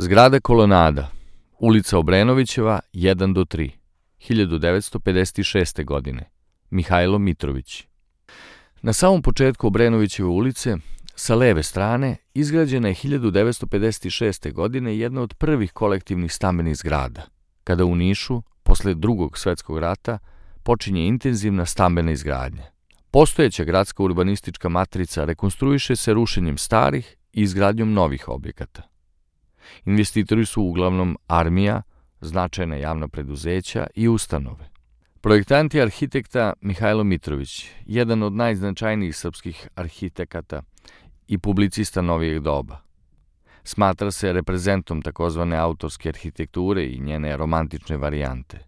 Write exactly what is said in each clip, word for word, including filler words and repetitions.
Zgrada Kolonada, ulica Obrenovićeva, jedan do tri, hiljadu devetsto pedeset šeste. godine, Mihajlo Mitrović. Na samom početku Obrenovićeve ulice, sa leve strane, izgrađena je hiljadu devetsto pedeset šeste. godine jedna od prvih kolektivnih stambenih zgrada, kada u Nišu, posle Drugog svetskog rata, počinje intenzivna stambena izgradnja. Postojeća gradska urbanistička matrica rekonstruiše se rušenjem starih i izgradnjom novih objekata. Investitori su uglavnom armija, značajna javna preduzeća i ustanove. Projektant je arhitekta Mihajlo Mitrović, jedan od najznačajnijih srpskih arhitekata i publicista novijeg doba. Smatra se reprezentom takozvane autorske arhitekture i njene romantične varijante.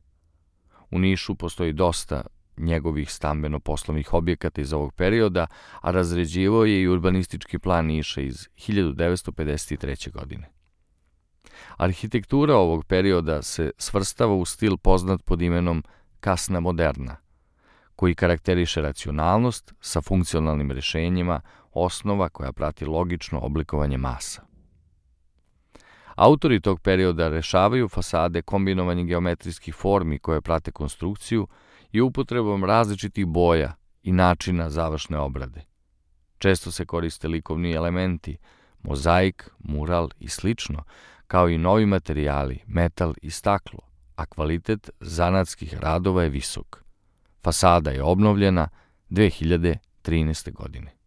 U Nišu postoji dosta njegovih stambeno-poslovnih objekata iz ovog perioda, a razređivao je i urbanistički plan Niša iz hiljadu devetsto pedeset treće. godine. Arhitektura ovog perioda se svrstava u stil poznat pod imenom kasna moderna, koji karakteriše racionalnost sa funkcionalnim rešenjima, osnova koja prati logično oblikovanje masa. Autori tog perioda rešavaju fasade kombinovanjem geometrijskih formi koje prate konstrukciju i upotrebom različitih boja i načina završne obrade. Često se koriste likovni elementi, mozaik, mural i slično, kao i novi materijali, metal i staklo, a kvalitet zanatskih radova je visok. Fasada je obnovljena dve hiljade trinaeste. godine.